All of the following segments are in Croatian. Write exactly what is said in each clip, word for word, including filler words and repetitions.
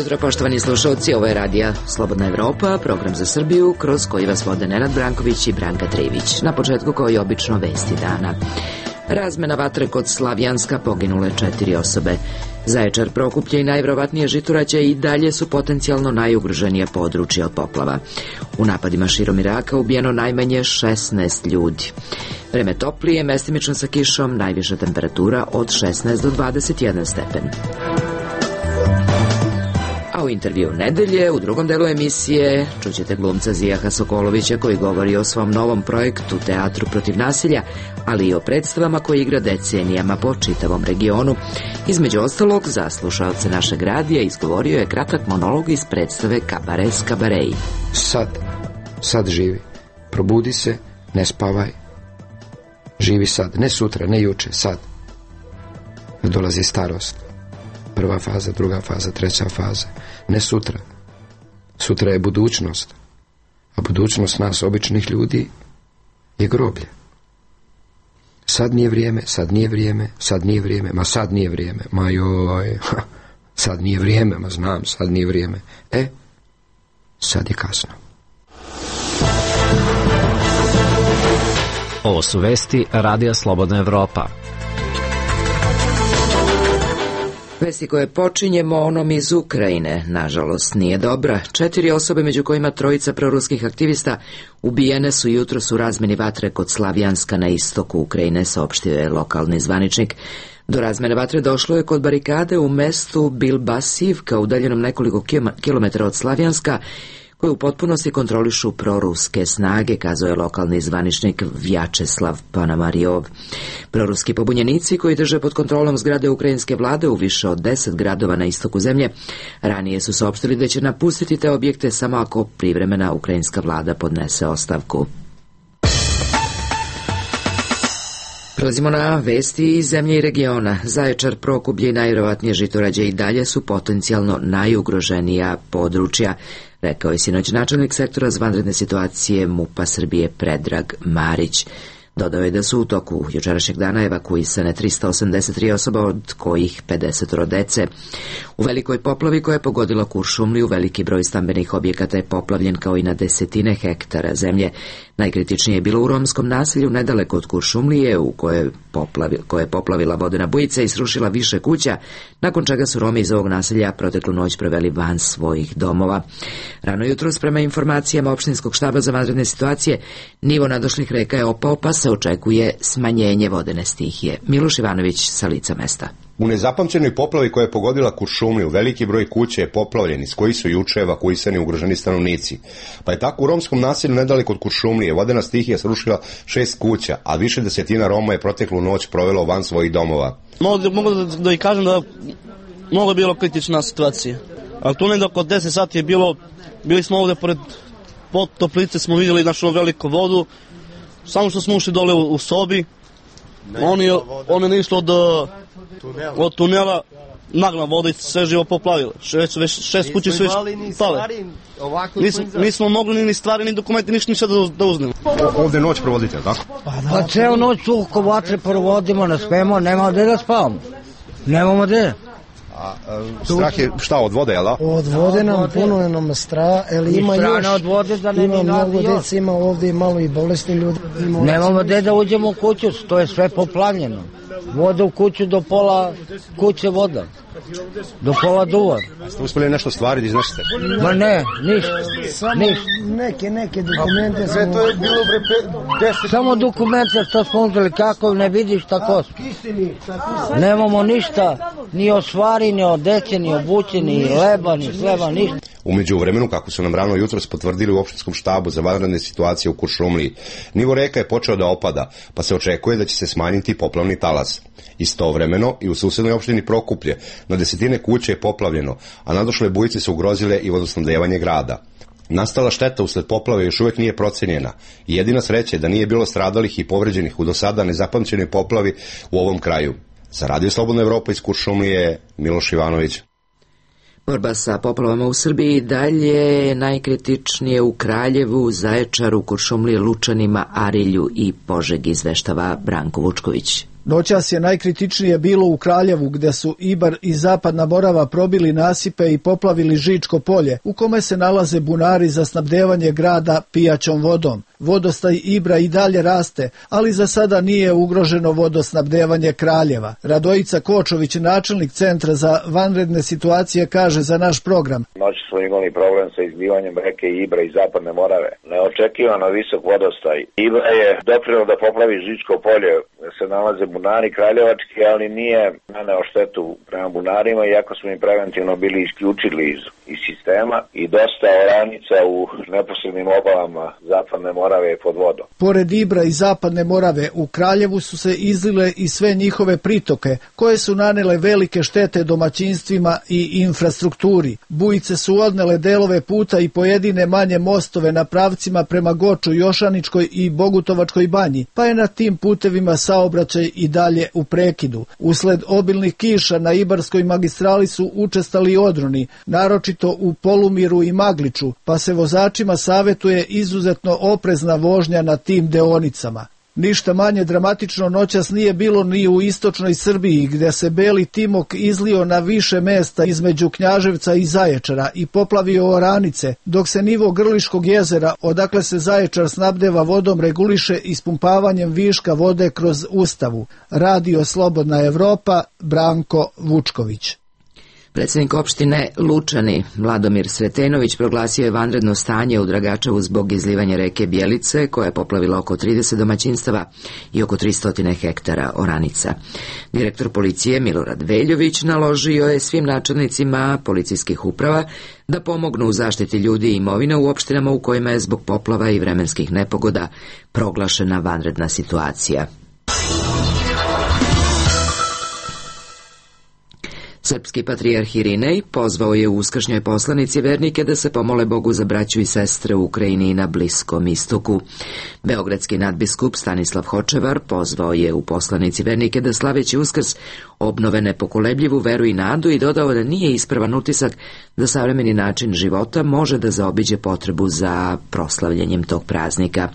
jutro, poštovani slušalci, ovo je radija Slobodna Evropa, program za Srbiju, kroz koji vas vode Nenad Branković i Branka Trivić. Na početku, kao i obično, vesti dana. Razmena vatre kod Slavjanska, poginule četiri osobe. Zaječar, Prokuplje i najverovatnije Žitorađe i dalje su potencijalno najugroženije područje od poplava. U napadima širom Iraka ubijeno najmanje šesnaest ljudi. Vreme toplije, mestimično sa kišom, najviša temperatura od šesnaest do dvadeset jedan stepen. A u intervju nedelje, u drugom delu emisije, čućete glumca Zijaha Sokolovića koji govori o svom novom projektu Teatru protiv nasilja, ali i o predstavama koje igra decenijama po čitavom regionu. Između ostalog, za slušalce našeg radija izgovorio je kratak monolog iz predstave Kabares Kabareji. Sad, sad živi. Probudi se, ne spavaj. Živi sad, ne sutra, ne juče, sad. Dolazi starost. Prva faza, druga faza, treća faza. Ne sutra. Sutra je budućnost. A budućnost nas, običnih ljudi, je groblje. Sad nije vrijeme, sad nije vrijeme, sad nije vrijeme, ma sad nije vrijeme, ma joj, sad nije vrijeme, ma znam, sad nije vrijeme. E, sad je kasno. Ovo su vesti Radija Slobodna Evropa. Vesti koje počinjemo onom iz Ukrajine, nažalost, nije dobra. Četiri osobe, među kojima trojica proruskih aktivista, ubijene su jutros u razmeni vatre kod Slavjanska na istoku Ukrajine, saopštio je lokalni zvaničnik. Do razmene vatre došlo je kod barikade u mestu Bilbasivka, udaljenom nekoliko kilometara od Slavjanska, koje u potpunosti kontrolišu proruske snage, kazao je lokalni zvaničnik Vjačeslav Panamarijov. Proruski pobunjenici koji drže pod kontrolom zgrade ukrajinske vlade u više od deset gradova na istoku zemlje, ranije su saopštili da će napustiti te objekte samo ako privremena ukrajinska vlada podnese ostavku. Prelazimo na vesti iz zemlje i regiona. Zaječar, Prokuplje i najverovatnije Žitorađe i dalje su potencijalno najugroženija područja, rekao je sinoć načelnik sektora za vanredne situacije MUP-a Srbije Predrag Marić. Dodao je da su u toku jučerašnjeg dana evakuisane tristo osamdeset tri osoba, od kojih pedeset dece. U velikoj poplavi koja je pogodila Kuršumliju, veliki broj stambenih objekata je poplavljen kao i na desetine hektara zemlje. Najkritičnije je bilo u romskom naselju nedaleko od Kuršumlije, u koje, poplavi, koje je poplavila vodena bujica i srušila više kuća, nakon čega su Romi iz ovog naselja proteklu noć proveli van svojih domova. Rano jutros, prema informacijama opštinskog štaba za vanredne situacije, nivo nadošlih reka je opao, pa se očekuje smanjenje vodene stihije. Miloš Ivanović sa lica mesta. U nezapamćenoj poplavi koja je pogodila Kuršumliju, veliki broj kuća je poplavljen, iz kojih su juče evakuisani ugroženi stanovnici. Pa je tako u romskom naselju nedaleko od Kuršumlije vodena stihija srušila šest kuća, a više desetina Roma je proteklu noć provelo van svojih domova. Mogu, mogu da, da i kažem da mnogo je bilo kritična situacija. Ali tu negdje oko deset sati je bilo, bili smo ovdje pored toplice, smo vidjeli našu veliku vodu, samo što smo ušli dole u, u sobi, on je, on je išlo od, od tunela, nagla voda i sve živo poplavilo. Šest, šest kuće su već pale. Nismo, nismo mogli ni stvari, ni dokumenti, ništa ništa da, da uznemo. Ovdje noć provodite, tako? Pa ceo noć tu oko vatre provodimo, ne smemo, nema gde da spavamo. Nemamo gde. A, a, strah je šta, od vode, jel da? Od vode nam puno je nam strah, ali ima još, od vode da ne ima mnogo djece, ima ovdje malo i bolesni ljudi. Nemamo gde da uđemo u kuću, to je sve poplavljeno. Voda u kuću, do pola kuće voda, do pola duva. A ste uspjeli nešto stvari da iznesete? Ma ne, ništa, ništa. Neke, neke dokumente smo... To je bilo deset... Samo dokumente što smo uzeli, kako ne vidiš tako. Nemamo ništa, ni o stvari, ni o dece, ni o buće, ni leba, ni sleba, ništa. U međuvremenu, kako su nam rano jutros potvrdili u opštinskom štabu za vanredne situacije u Kuršumliji, nivo reka je počeo da opada, pa se očekuje da će se smanjiti poplavni talas. Istovremeno i u susednoj opštini Prokuplje na desetine kuće je poplavljeno, a nadošle bujice su ugrozile i vodosnabdevanje grada. Nastala šteta usled poplave još uvijek nije procenjena i jedina sreća je da nije bilo stradalih i povređenih u do sada nezapamćenoj poplavi u ovom kraju. Za Radio Slobodna Evropa iz Kuršumlije, Miloš Ivanović. Borba sa poplavama u Srbiji dalje najkritičnije u Kraljevu, Zaječaru, Kuršumliji, Lučanima, Arilju i Požegi, izveštava Branko Vučković. Noćas je najkritičnije bilo u Kraljevu, gdje su Ibar i Zapadna Morava probili nasipe i poplavili Žičko polje, u kome se nalaze bunari za snabdevanje grada pijaćom vodom. Vodostaj Ibra i dalje raste, ali za sada nije ugroženo vodosnabdevanje Kraljeva. Radojica Kočović, načelnik Centra za vanredne situacije, kaže za naš program. Noći smo imali problem sa izlivanjem reke Ibra i Zapadne Morave. Neočekivano visok vodostaj. Ibra je doprineo da poplavi Žičko polje, se nalaze bunari kraljevački, ali nije naneo štetu prema bunarima, iako smo im preventivno bili isključili iz, iz sistema i dosta oranica u neposrednim obalama Zapadne Morave je pod vodom. Pored Ibra i Zapadne Morave, u Kraljevu su se izlile i sve njihove pritoke, koje su nanele velike štete domaćinstvima i infrastrukturi. Bujice su odnele delove puta i pojedine manje mostove na pravcima prema Goču, Jošaničkoj i Bogutovačkoj banji, pa je na tim putevima saobraćaj i dalje u prekidu. Usled obilnih kiša na Ibarskoj magistrali su učestali odroni, naročito u Polumiru i Magliču, pa se vozačima savjetuje izuzetno oprezna vožnja na tim deonicama. Ništa manje dramatično noćas nije bilo ni u istočnoj Srbiji, gdje se Beli Timok izlio na više mesta između Knjaževca i Zaječara i poplavio oranice, dok se nivo Grliškog jezera, odakle se Zaječar snabdeva vodom, reguliše ispumpavanjem viška vode kroz Ustavu. Radio Slobodna Evropa, Branko Vučković. Predsjednik opštine Lučani, Vladomir Sretenović, proglasio je vanredno stanje u Dragačevu zbog izlivanja reke Bjelice, koja je poplavila oko trideset domaćinstava i oko tristo hektara oranica. Direktor policije Milorad Veljović naložio je svim načelnicima policijskih uprava da pomognu u zaštiti ljudi i imovine u opštinama u kojima je zbog poplava i vremenskih nepogoda proglašena vanredna situacija. Srpski patrijarh Irinej pozvao je u uskršnjoj poslanici vernike da se pomole Bogu za braću i sestre u Ukrajini i na Bliskom istoku. Beogradski nadbiskup Stanislav Hočevar pozvao je u poslanici vernike da slaveći Uskrs obnove nepokolebljivu veru i nadu i dodao da nije ispravan utisak da savremeni način života može da zaobiđe potrebu za proslavljanjem tog praznika.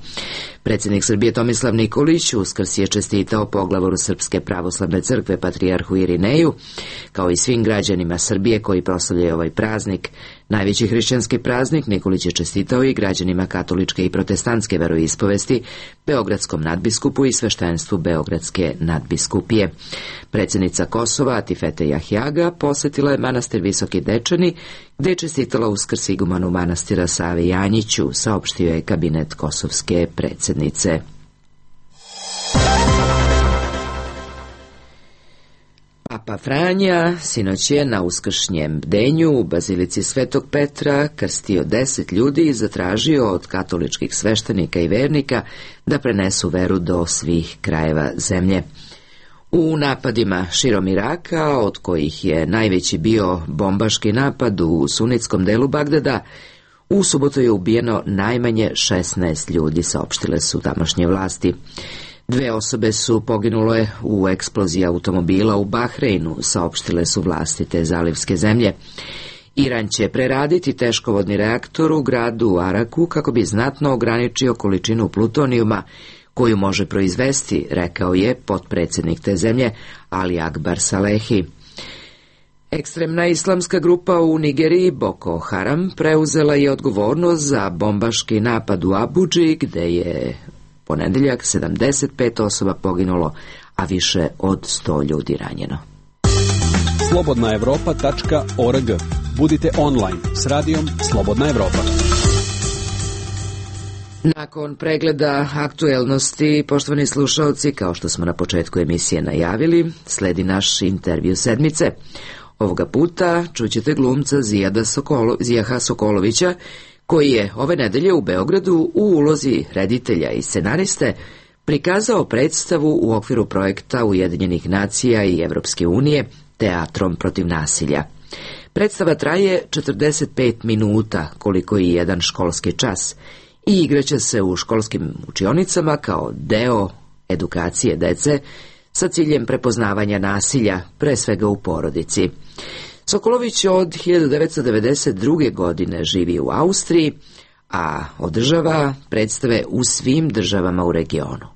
Predsjednik Srbije Tomislav Nikolić Uskrs je čestitao poglavoru Srpske pravoslavne crkve patrijarhu Irineju, kao i svim građanima Srbije koji proslavljaju ovaj praznik. Najveći hrišćanski praznik Nikolić je čestitao i građanima katoličke i protestantske veroispovesti, beogradskom nadbiskupu i sveštenstvu Beogradske nadbiskupije. Predsjednica Kosova Atifete Jahjaga posjetila je manastir Visoki Dečani, gdje je čestitala Uskrs igumanu manastira Savi Janjiću, saopštio je kabinet kosovske predsjednice. Papa Franja sinoć je na uskršnjem bdenju u Bazilici Svetog Petra krstio deset ljudi i zatražio od katoličkih sveštenika i vernika da prenesu veru do svih krajeva zemlje. U napadima širom Iraka, od kojih je najveći bio bombaški napad u sunitskom delu Bagdada, u subotu je ubijeno najmanje šesnaest ljudi, saopštile su tamošnje vlasti. Dve osobe su poginule u eksploziji automobila u Bahreinu, saopštile su vlasti te zalivske zemlje. Iran će preraditi teškovodni reaktor u gradu Araku kako bi znatno ograničio količinu plutonijuma koju može proizvesti, rekao je potpredsjednik te zemlje Ali Akbar Salehi. Ekstremna islamska grupa u Nigeriji Boko Haram preuzela je odgovornost za bombaški napad u Abudži, gde je ponedeljak sedamdeset pet osoba poginulo, a više od sto ljudi ranjeno. slobodna evropa tačka org. Budite online s radijom Slobodna Evropa. Nakon pregleda aktuelnosti, poštovani slušalci, kao što smo na početku emisije najavili, sledi naš intervju sedmice. Ovoga puta čućete glumca Zijada Sokolo, Zijaha Sokolovića, koji je ove nedelje u Beogradu u ulozi reditelja i scenariste prikazao predstavu u okviru projekta Ujedinjenih nacija i Evropske unije Teatrom protiv nasilja. Predstava traje četrdeset pet minuta, koliko i jedan školski čas, i igraće se u školskim učionicama kao deo edukacije dece sa ciljem prepoznavanja nasilja, pre svega u porodici. Sokolović od hiljadu devetsto devedeset druge. godine živi u Austriji, a održava predstave u svim državama u regionu.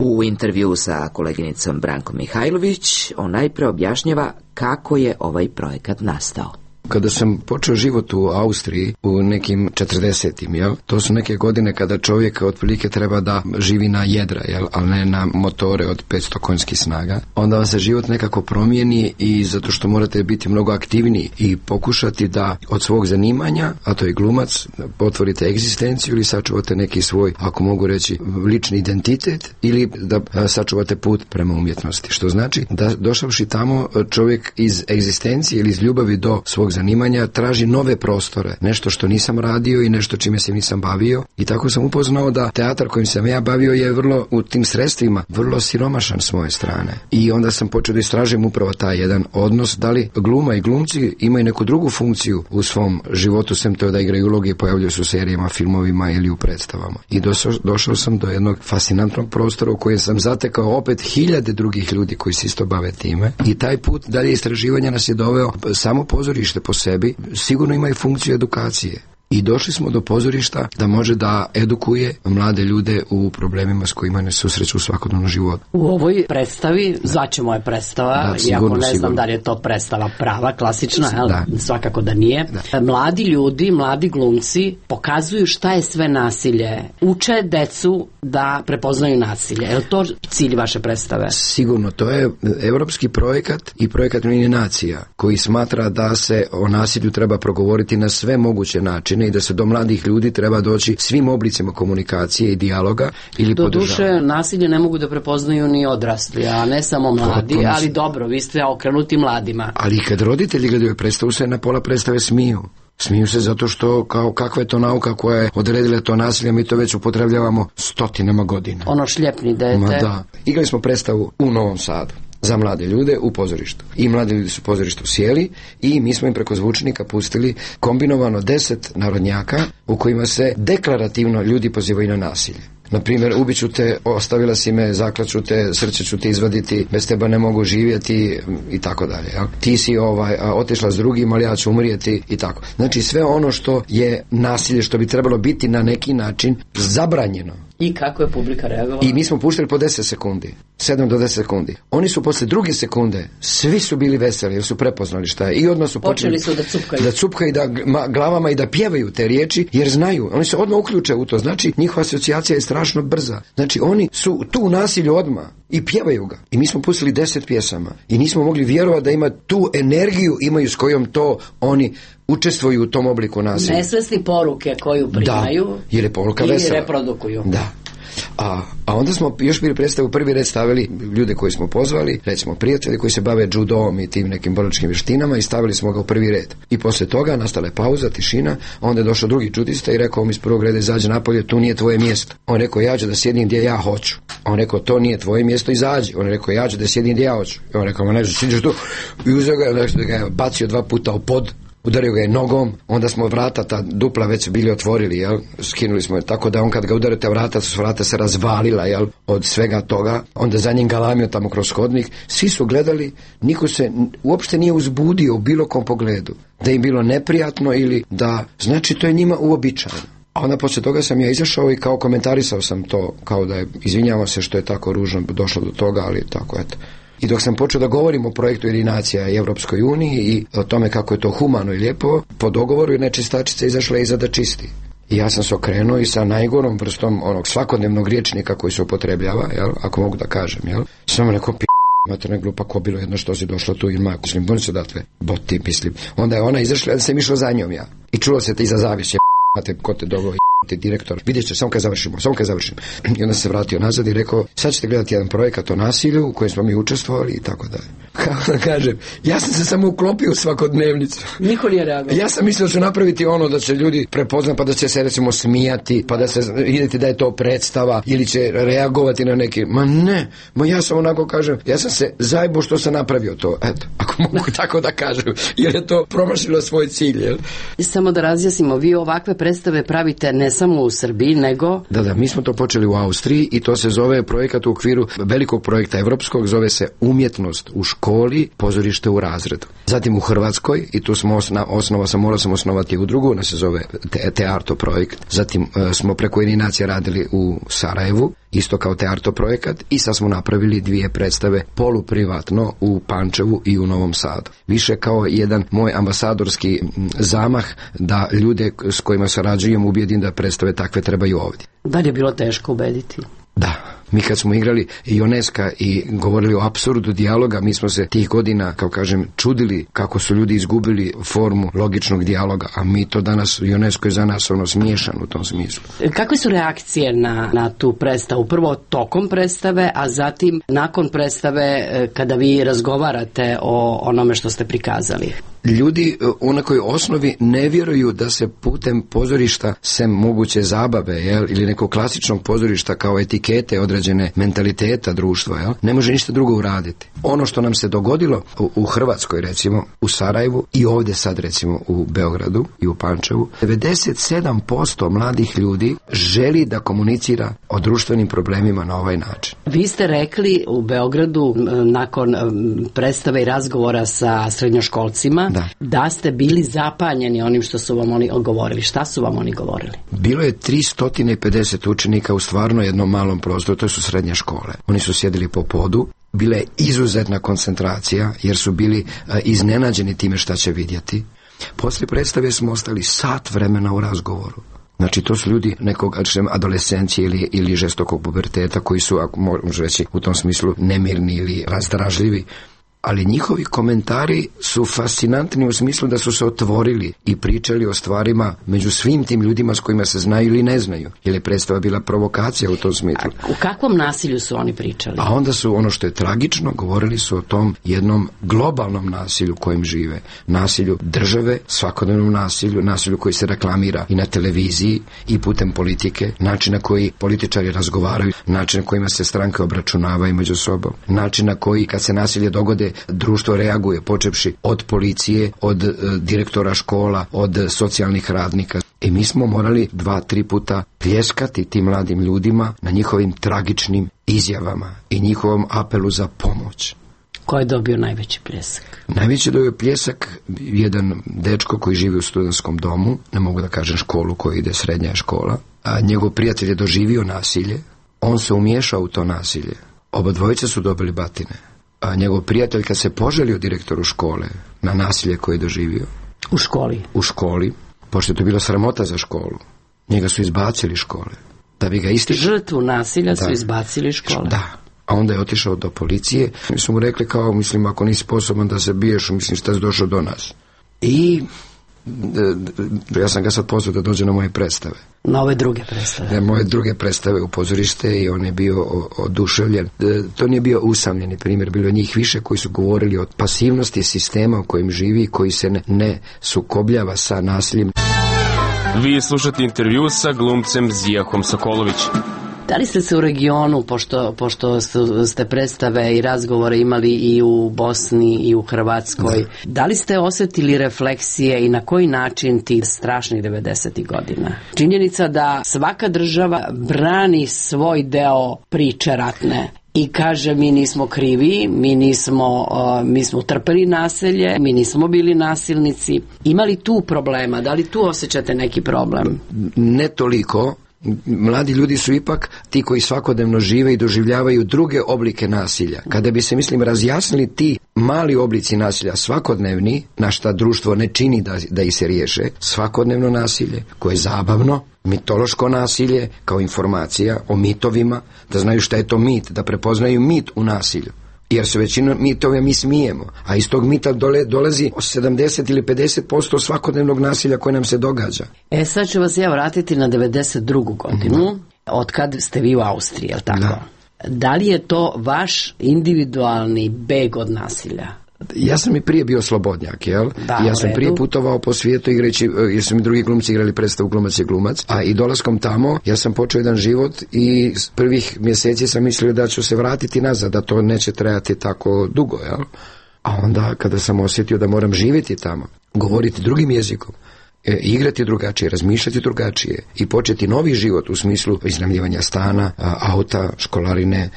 U intervju sa koleginicom Brankom Mihajlović on najpre objašnjava kako je ovaj projekat nastao. Kada sam počeo život u Austriji u nekim četrdesetim, jel, to su neke godine kada čovjek otprilike treba da živi na jedra, jel, ali ne na motore od petsto konjskih snaga, onda vam se život nekako promijeni i zato što morate biti mnogo aktivniji i pokušati da od svog zanimanja, a to je glumac, otvorite egzistenciju ili sačuvate neki svoj, ako mogu reći, lični identitet ili da sačuvate put prema umjetnosti. Što znači da došavši tamo čovjek iz egzistencije ili iz ljubavi do svog zanimanja traži nove prostore, nešto što nisam radio i nešto čime se nisam bavio, i tako sam upoznao da teatar kojim sam ja bavio je vrlo u tim sredstvima vrlo siromašan s moje strane. I onda sam počeo da istražujem upravo taj jedan odnos, da li gluma i glumci imaju neku drugu funkciju u svom životu, sem to da igraju uloge i pojavljuju se u serijama, filmovima ili u predstavama. I došao, došao sam do jednog fascinantnog prostora u kojem sam zatekao opet hiljade drugih ljudi koji se isto bave time, i taj put dalje istraživanja nas je doveo samo pozorište po sebi, sigurno ima i funkciju edukacije. I došli smo do pozorišta da može da edukuje mlade ljude u problemima s kojima ne susreću u svakodnevnom životu. U ovoj predstavi, zvaćemo je predstava, da, sigurno, iako ne znam sigurno. Da li je to predstava prava, klasična, jel? Da. Svakako da nije. Da. Mladi ljudi, mladi glumci pokazuju šta je sve nasilje. Uče decu da prepoznaju nasilje. Je li to cilj vaše predstave? Sigurno, to je evropski projekat i projekat Ujedinjenih nacija koji smatra da se o nasilju treba progovoriti na sve moguće načine i da se do mladih ljudi treba doći svim oblicima komunikacije i dijaloga ili podržavanja. Do duše, nasilje ne mogu da prepoznaju ni odrasli, a ne samo mladi, Potpuno. Ali dobro, vi ste okrenuti mladima. Ali kad roditelji gledaju predstavu, se na pola predstave smiju. Smiju se zato što kao kakva je to nauka koja je odredila to nasilje, mi to već upotrebljavamo stotinama godina. Ono šljepni dete. Ma da. Igrali smo predstavu u Novom Sadu za mlade ljude u pozorištu. I mladi ljudi su u pozorištu sjeli i mi smo im preko zvučnika pustili kombinovano deset narodnjaka u kojima se deklarativno ljudi pozivaju na nasilje. Na primjer, ubiću te, ostavila si me, zaklaću te, srce ću te izvaditi, bez teba ne mogu živjeti i tako dalje. Ja? Ti si ovaj, a, otišla s drugim, ali ja ću umrijeti i tako. Znači sve ono što je nasilje, što bi trebalo biti na neki način zabranjeno. I kako je publika reagovala? I mi smo puštali po deset sekundi, sedam do deset sekundi. Oni su posle druge sekunde, svi su bili veseli jer su prepoznali šta je i odmah su počeli, počeli su da cupkaju. Da cupkaju da glavama i da pjevaju te riječi jer znaju. Oni se odmah uključe u to. Znači njihova asocijacija je strašno brza. Znači oni su tu u nasilju odmah i pjevaju ga. I mi smo pustili deset pjesama i nismo mogli vjerovati da ima tu energiju imaju s kojom to oni učestvuju u tom obliku nasilja. Nesvesni poruke koju primaju, da, jer je poruka i vesela. Reprodukuju. Da. A, a onda smo još bili predstavu prvi red stavili ljude koji smo pozvali, recimo prijatelji koji se bave judom i tim nekim borilačkim vještinama, i stavili smo ga u prvi red. I posle toga nastala je pauza, tišina, onda je došao drugi judista i rekao mi iz prvog reda izađe napolje, tu nije tvoje mjesto. On rekao ja ću da sjedim gdje ja hoću. On rekao to nije tvoje mjesto, izađi. On rekao ja ću da sjedim gdje ja hoću. I on rekao ma ne, sidiš tu. I uzeo ga, nešto ga je bacio dva puta u pod. Udario ga je nogom, onda smo vrata, ta dupla već bili otvorili, jel? Skinuli smo je, tako da on kad ga udario te vrata, su vrata se razvalila, jel? Od svega toga, onda za njim galamio tamo kroz hodnik, svi su gledali, niko se uopšte nije uzbudio u bilo kom pogledu, da im bilo neprijatno ili da, znači to je njima uobičajeno. A onda poslije toga sam ja izašao i kao komentarisao sam to, kao da je, izvinjavam se što je tako ružno došlo do toga, ali tako, eto. I dok sam počeo da govorim o projektu Ujedinjenih nacija i Evropskoj uniji i o tome kako je to humano i lijepo, po dogovoru je nečistačica izašla iza da čisti. I ja sam se okrenuo i sa najgorom vrstom onog svakodnevnog riječnika koji se upotrebljava, jel, ako mogu da kažem, jel, sam rekao p***, materna glupa, ko bilo jedno što si došla tu ili mako, mislim, buni se datle, boti, mislim. Onda je ona izašla, da sam išao za njom ja. I čulo se te iza zavise, p***, ko te dogo, ti direktor, vidjet će, samo kad završimo, samo kad završimo. I onda se vratio nazad i rekao, sad ćete gledati jedan projekat o nasilju u kojem smo mi učestvovali i tako dalje. Kako da kažem, ja sam se samo uklopio u svakodnevnicu. Niko nije reagovao. Ja sam mislio da će napraviti ono da će ljudi prepoznati, pa da će se recimo smijati, pa da se vidjeti da je to predstava ili će reagovati na neki, ma ne, ma ja sam onako kažem, ja sam se zajebo što sam napravio to, eto, ako mogu tako da kažem, jer je to promašilo svoj cilj, jel? Samo da razjasnimo, vi ovakve predstave pravite ne samo u Srbiji, nego... Da, da, mi smo to počeli u Austriji i to se zove projekat u okviru velikog projekta evropskog, zove se Umjetnost u školi, pozorište u razredu. Zatim u Hrvatskoj, i tu smo osna, osnova sam, morao sam osnovati udrugu, ona se zove te, Tearto projekt. Zatim e, smo preko Ujedinjenih nacija radili u Sarajevu isto kao Tearto projekat, i sad smo napravili dvije predstave poluprivatno u Pančevu i u Novom Sadu. Više kao jedan moj ambasadorski zamah da ljude s kojima sarađujem ubijedim da predstave takve trebaju ovdje. Da li je bilo teško ubediti? Da. Mi kad smo igrali Ioneska i govorili o apsurdu dijaloga, mi smo se tih godina, kao kažem, čudili kako su ljudi izgubili formu logičnog dijaloga, a mi to danas, Ionesko je za nas ono smiješan u tom smislu. Kakve su reakcije na, na tu predstavu? Prvo tokom predstave, a zatim nakon predstave kada vi razgovarate o onome što ste prikazali? Ljudi u nekoj osnovi ne vjeruju da se putem pozorišta, sem moguće zabave, jel, ili nekog klasičnog pozorišta kao etikete određene mentaliteta društva, jel, ne može ništa drugo uraditi. Ono što nam se dogodilo u, u Hrvatskoj, recimo, u Sarajevu i ovdje sad, recimo, u Beogradu i u Pančevu, devedeset sedam posto mladih ljudi želi da komunicira o društvenim problemima na ovaj način. Vi ste rekli u Beogradu, nakon predstave i razgovora sa srednjoškolcima, Da. da ste bili zapanjeni onim što su vam oni govorili. Šta su vam oni govorili? Bilo je tristo pedeset učenika u stvarno jednom malom prostoru, to su srednje škole. Oni su sjedili po podu, bila je izuzetna koncentracija jer su bili a, iznenađeni time šta će vidjeti. Poslije predstave smo ostali sat vremena u razgovoru. Znači, to su ljudi nekog adolescencije ili, ili žestokog puberteta koji su, ako možemo reći, u tom smislu nemirni ili razdražljivi. Ali njihovi komentari su fascinantni u smislu da su se otvorili i pričali o stvarima među svim tim ljudima s kojima se znaju ili ne znaju. Jer je predstava bila provokacija u tom smislu. A u kakvom nasilju su oni pričali? A onda su, ono što je tragično, govorili su o tom jednom globalnom nasilju kojim žive. Nasilju države, svakodnevnom nasilju, nasilju koji se reklamira i na televiziji i putem politike, način na koji političari razgovaraju, način na kojima se stranke obračunavaju među sobom, način na koji kad se nasilje dogode društvo reaguje, počevši od policije, od e, direktora škola, od socijalnih radnika. I mi smo morali dva, tri puta pljeskati tim mladim ljudima na njihovim tragičnim izjavama i njihovom apelu za pomoć. Ko je dobio najveći pljesak? Najveći dobio pljesak jedan dečko koji živi u studentskom domu, ne mogu da kažem školu koja ide, srednja škola, a njegov prijatelj je doživio nasilje, on se umiješao u to nasilje. Oba dvojice su dobili batine. A njegov prijatelj kad se poželio direktoru škole na nasilje koje je doživio. U školi? U školi, pošto je to bilo sramota za školu. Njega su izbacili škole. Da bi ga isti... Žrtvu nasilja da. su izbacili škole? Da. A onda je otišao do policije. Mi su mu rekli kao, mislim, ako nisi sposoban da se biješ, mislim, šta si došao do nas. I... ja sam ga sad pozvao da dođe na moje predstave. Na ove druge predstave? Na moje druge predstave u pozorište i on je bio oduševljen. To nije bio usamljeni primjer, bilo je njih više koji su govorili o pasivnosti sistema u kojem živi, koji se ne, ne sukobljava sa nasiljem. Vi slušate intervju sa glumcem Zijahom Sokolović. Da li ste se u regionu, pošto, pošto ste predstave i razgovore imali i u Bosni i u Hrvatskoj, da, da li ste osjetili refleksije i na koji način tih strašnih devedesetih godina? Činjenica da svaka država brani svoj deo priče ratne i kaže mi nismo krivi, mi nismo, uh, mi smo utrpeli nasilje, mi nismo bili nasilnici. Ima li tu problema? Da li tu osjećate neki problem? Ne toliko. Mladi ljudi su ipak ti koji svakodnevno žive i doživljavaju druge oblike nasilja. Kada bi se, mislim, razjasnili ti mali oblici nasilja svakodnevni, na šta društvo ne čini da, da ih se riješe, svakodnevno nasilje koje je zabavno, mitološko nasilje kao informacija o mitovima, da znaju šta je to mit, da prepoznaju mit u nasilju. Jer se većinu mitove mi smijemo, a iz tog mita dole, dolazi sedamdeset ili pedeset posto svakodnevnog nasilja koje nam se događa. E sad ću vas ja vratiti na devedeset drugu godinu, mm-hmm. od kad ste vi u Austriji, je li tako? Da. Da li je to vaš individualni beg od nasilja? Ja sam i prije bio slobodnjak, jel? Da, ja sam prije putovao po svijetu igrajući, jer su mi drugi glumci igrali predstavu Glumac je glumac, a i dolaskom tamo ja sam počeo jedan život i s prvih mjeseci sam mislio da ću se vratiti nazad, da to neće trajati tako dugo, jel? A onda kada sam osjetio da moram živjeti tamo, govoriti drugim jezikom, E, igrati drugačije, razmišljati drugačije i početi novi život u smislu iznajmljivanja stana, a, auta, školarine,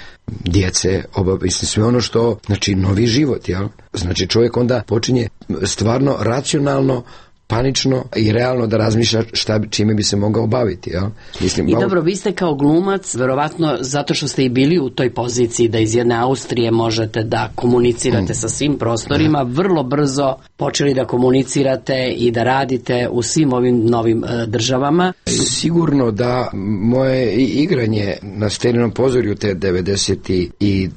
djece, obavesti, sve ono što, znači novi život, jel? Znači čovjek onda počinje stvarno racionalno panično i realno da razmišlja šta, čime bi se mogao baviti. Ja? Mislim, I malo... dobro, vi ste kao glumac, verovatno zato što ste i bili u toj poziciji da iz jedne Austrije možete da komunicirate mm. sa svim prostorima, da. Vrlo brzo počeli da komunicirate i da radite u svim ovim novim e, državama. Sigurno da moje igranje na Steninom pozorju te devedeset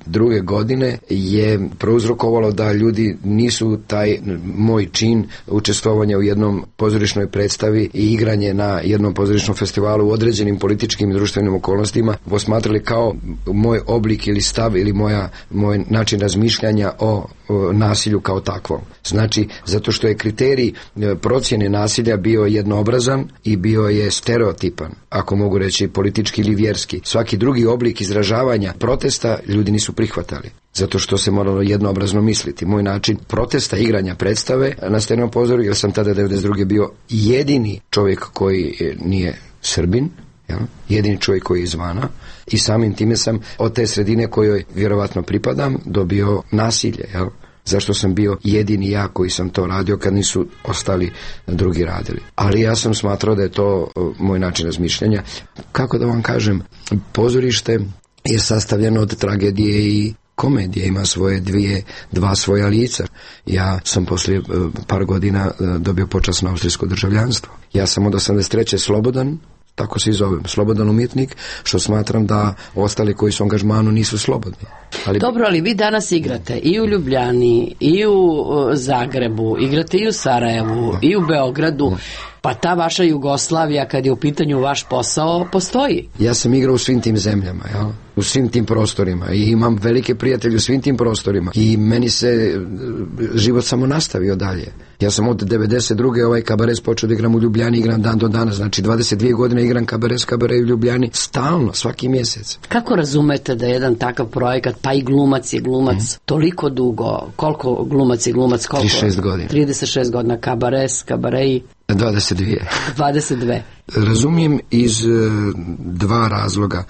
druge godine je prouzrokovalo da ljudi nisu taj moj čin učestvovanja u jednom pozorišnoj predstavi i igranje na jednom pozorišnom festivalu u određenim političkim i društvenim okolnostima posmatrali kao moj oblik ili stav ili moja, moj način razmišljanja o, o nasilju kao takvom. Znači, zato što je kriterij procjene nasilja bio jednoobrazan i bio je stereotipan, ako mogu reći politički ili vjerski. Svaki drugi oblik izražavanja protesta ljudi nisu prihvatali, zato što se moralo jednoobrazno misliti. Moj način protesta, igranja predstave na Steninom pozorju, jer sam tada devedeset druge bio jedini čovjek koji nije Srbin, jel? Jedini čovjek koji je izvana, i samim time sam od te sredine kojoj vjerovatno pripadam dobio nasilje, jel? Zašto sam bio jedini ja koji sam to radio kad nisu ostali drugi radili. Ali ja sam smatrao da je to moj način razmišljanja. Kako da vam kažem, pozorište je sastavljeno od tragedije i komedije, ima svoje dvije, dva svoja lica. Ja sam poslije par godina dobio počasno austrijsko državljanstvo. Ja sam od osamdeset treće slobodan, tako se i zovem, slobodan umjetnik, što smatram da ostali koji su u angažmanu nisu slobodni. Ali... Dobro, ali vi danas igrate i u Ljubljani, i u Zagrebu, igrate i u Sarajevu, i u Beogradu, pa ta vaša Jugoslavija, kad je u pitanju vaš posao, postoji. Ja sam igrao u svim tim zemljama, jel? U svim tim prostorima i imam velike prijatelje u svim tim prostorima i meni se život samo nastavio dalje. Ja sam od devedeset druge ovaj kabaret počeo da igram u Ljubljani, igram dan do danas, znači dvadeset dvije godine igram kabaret, kabaret u Ljubljani, stalno, svaki mjesec. Kako razumete da jedan takav projekat, pa i glumac je glumac, mm. toliko dugo, koliko glumac je glumac, koliko? trideset šest godina. trideset šest godina, kabaret, kabaret. dvadeset dvije. dvadeset dvije. Razumijem iz uh, dva razloga.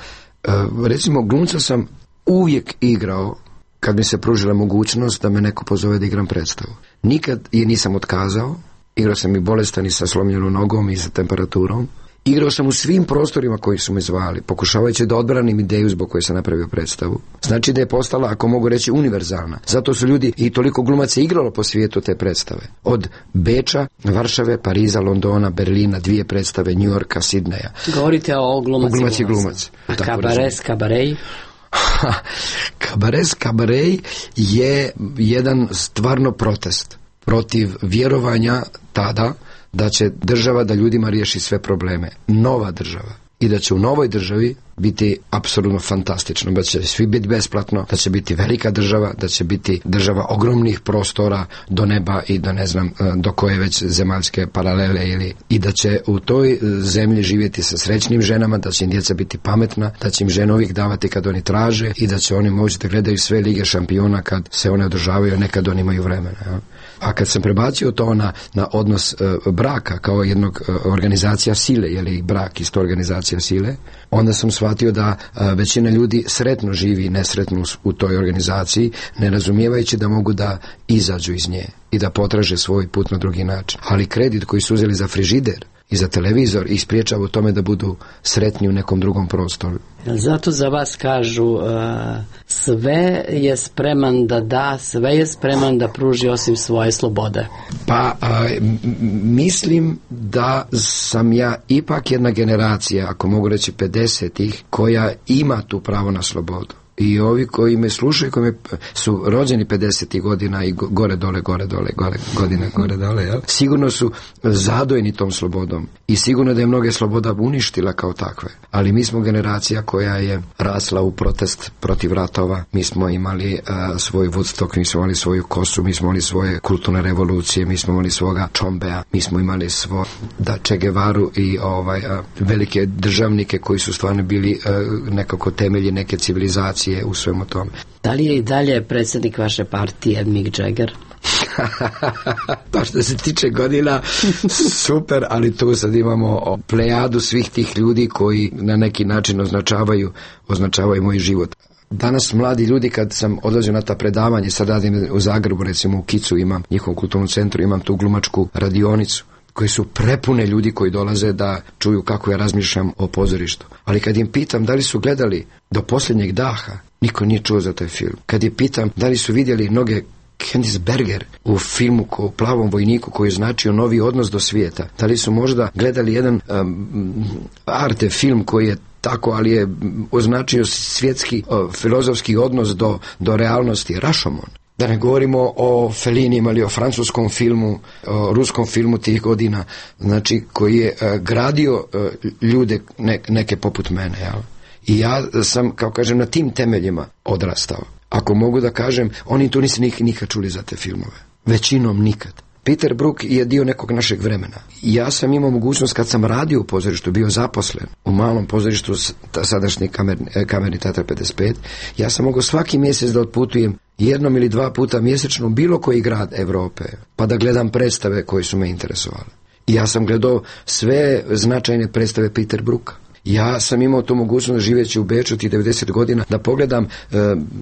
Uh, recimo, glumca sam uvijek igrao kad mi se pružila mogućnost da me neko pozove da igram predstavu. Nikad je nisam otkazao. Igrao sam i bolestan i sa slomljenom nogom i sa temperaturom. Igrao sam u svim prostorima koji su me zvali, pokušavajući da odbranim ideju zbog koje sam napravio predstavu. Znači da je postala, ako mogu reći, univerzalna. Zato su ljudi i toliko glumaca igralo po svijetu te predstave. Od Beča, Varšave, Pariza, Londona, Berlina, dvije predstave, New Yorka, Sidneja. Govorite o glumac, glumac i glumac. A kabaret, kabaret? Kabaret, kabaret je jedan stvarno protest protiv vjerovanja tada da će država da ljudima riješi sve probleme. Nova država. I da će u novoj državi biti apsolutno fantastično. Da će svi biti besplatno, da će biti velika država, da će biti država ogromnih prostora do neba i do ne znam do koje već zemaljske paralele ili i da će u toj zemlji živjeti sa srećnim ženama, da će im djeca biti pametna, da će im žene uvijek davati kad oni traže i da će oni moći da gledaju sve lige šampiona kad se one održavaju, nekad oni imaju vremena. Ja? A kad sam prebacio to na, na odnos e, braka kao jednog e, organizacija sile, je li brak isto organizacija sile, onda sam shvatio da e, većina ljudi sretno živi i nesretno u toj organizaciji, ne razumijevajući da mogu da izađu iz nje i da potraže svoj put na drugi način. Ali kredit koji su uzeli za frižider i za televizor i spriječava u tome da budu sretni u nekom drugom prostoru. Zato za vas kažu uh, sve je spreman da da, sve je spreman da pruži osim svoje slobode. Pa a, mislim da sam ja ipak jedna generacija, ako mogu reći pedesetih, koja ima tu pravo na slobodu. I ovi koji me slušaju, koji me su rođeni pedesetih godina i gore dole, gore dole, gore, godina gore dole, jel? Sigurno su zadojeni tom slobodom i sigurno da je mnoge sloboda uništila kao takve. Ali mi smo generacija koja je rasla u protest protiv ratova. Mi smo imali uh, svoj Woodstock, mi smo imali svoju kosu, mi smo imali svoje kulturne revolucije, mi smo imali svoga Čombea, mi smo imali svo da Che Guevaru i ovaj, uh, velike državnike koji su stvarno bili uh, nekako temelji neke civilizacije u svemu tome. Da li je i dalje predsjednik vaše partije Mick Jagger? Pa što se tiče godina, super, ali tu sad imamo plejadu svih tih ljudi koji na neki način označavaju, označavaju moj život. Danas mladi ljudi, kad sam odlazio na ta predavanje, sad radim u Zagrebu, recimo u Kicu imam, njihovom kulturnom centru, imam tu glumačku radionicu koje su prepune ljudi koji dolaze da čuju kako ja razmišljam o pozorištu. Ali kad im pitam da li su gledali Do posljednjeg daha, niko nije čuo za taj film. Kad je pitam da li su vidjeli mnoge Candice Berger u filmu o Plavom vojniku koji je značio novi odnos do svijeta, da li su možda gledali jedan um, arte film koji je tako, ali je označio svjetski uh, filozofski odnos do, do realnosti, Rashomon. Da ne govorimo o Fellinima ili o francuskom filmu, o ruskom filmu tih godina, znači koji je uh, gradio uh, ljude ne, neke poput mene, jel? I ja sam, kao kažem, na tim temeljima odrastao. Ako mogu da kažem, oni tu nisu nikad čuli za te filmove. Većinom nikad. Peter Brook je dio nekog našeg vremena. Ja sam imao mogućnost, kad sam radio u pozorištu, bio zaposlen u malom pozorištu, sadašnji kamerni, kamerni teatar pedeset pet, ja sam mogao svaki mjesec da otputujem jednom ili dva puta mjesečno u bilo koji grad Evrope, pa da gledam predstave koje su me interesovale. I ja sam gledao sve značajne predstave Peter Brooka. Ja sam imao tu mogućnost, živeći u Beču tih devedeset godina, da pogledam e,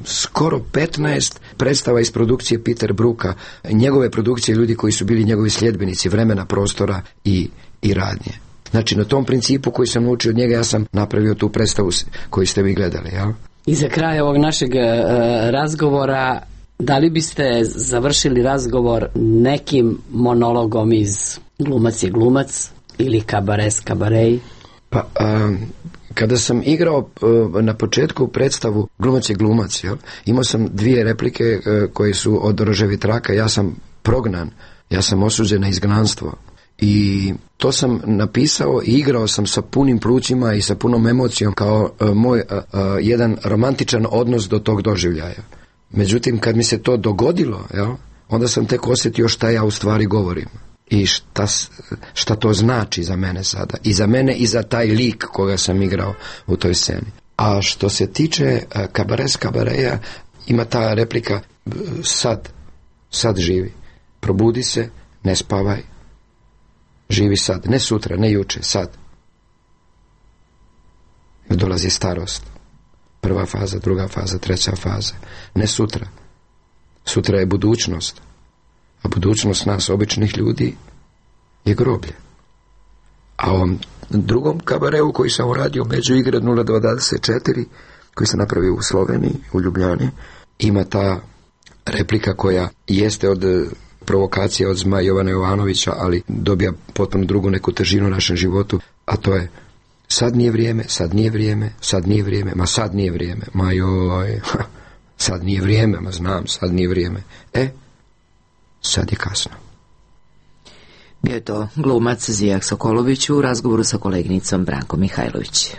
skoro petnaest predstava iz produkcije Peter Brooka, njegove produkcije, ljudi koji su bili njegovi sljedbenici vremena, prostora i, i radnje. Znači, na tom principu koji sam naučio od njega, ja sam napravio tu predstavu koju ste vi gledali, jel? I za kraj ovog našeg e, razgovora, da li biste završili razgovor nekim monologom iz Glumac je glumac ili Kabares kabarej? Pa, a, kada sam igrao a, na početku predstavu Glumac je glumac, jel? Imao sam dvije replike a, koje su od Roževi traka, ja sam prognan, ja sam osuđen na izgnanstvo. I to sam napisao i igrao sam sa punim plućima i sa punom emocijom kao a, moj a, a, jedan romantičan odnos do tog doživljaja. Međutim, kad mi se to dogodilo, jel, onda sam tek osjetio šta ja u stvari govorim. I šta, šta to znači za mene sada. I za mene i za taj lik koga sam igrao u toj sceni. A što se tiče Kabares kabareja, ima ta replika sad, sad živi. Probudi se, ne spavaj, živi sad. Ne sutra, ne juče, sad. Dolazi starost. Prva faza, druga faza, treća faza. Ne sutra. Sutra je budućnost. A budućnost nas, običnih ljudi, je groblje. A ovom drugom kabareu koji sam uradio među igre nula dva dvadeset četiri, koji sam napravio u Sloveniji, u Ljubljani, ima ta replika koja jeste od provokacije od Zmaja Jovana Jovanovića, ali dobija potpuno drugu neku težinu u našem životu, a to je: sad nije vrijeme, sad nije vrijeme, sad nije vrijeme, ma sad nije vrijeme, ma joj, sad nije vrijeme, ma znam, sad nije vrijeme. E, sad je kasno. Bio je to glumac Zijak Sokolović u razgovoru sa koleginicom Brankom Mihajlović.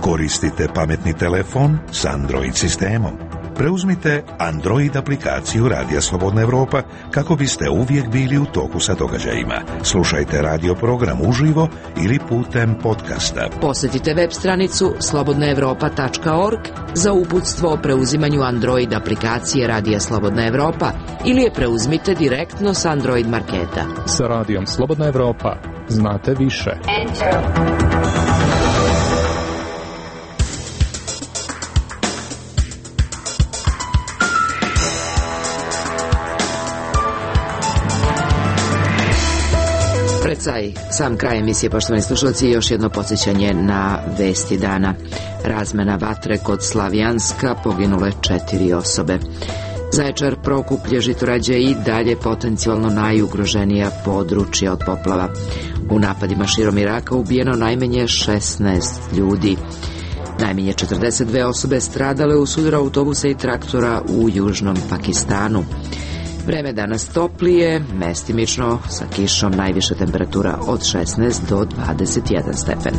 Koristite pametni telefon s Android sistemom. Preuzmite Android aplikaciju Radija Slobodna Evropa kako biste uvijek bili u toku sa događajima. Slušajte radio program uživo ili putem podcasta. Posjetite web stranicu slobodna evropa tačka org za uputstvo o preuzimanju Android aplikacije Radija Slobodna Evropa ili je preuzmite direktno s Android marketa. Sa Radijom Slobodna Evropa znate više. Enter. Pred saj, sam kraj emisije, poštovani slušalci, još jedno podsjećanje na vesti dana. Razmena vatre kod Slavijanska, poginule četiri osobe. Zaječar, Prokuplje, Žitorađe i dalje potencijalno najugroženija područja od poplava. U napadima širom Iraka ubijeno najmanje šesnaest ljudi. Najmanje četrdeset dve osobe stradale u sudaru autobusa i traktora u južnom Pakistanu. Vreme danas toplije, mestimično, sa kišom, najviša temperatura od šesnaest do dvadeset jedan stepen.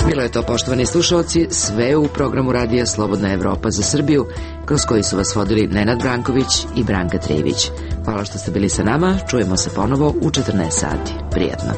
Bilo je to, poštovani slušalci, sve u programu Radija Slobodna Evropa za Srbiju, kroz koji su vas vodili Nenad Branković i Branka Trijević. Hvala što ste bili sa nama, čujemo se ponovo u četrnaest sati. Prijatno.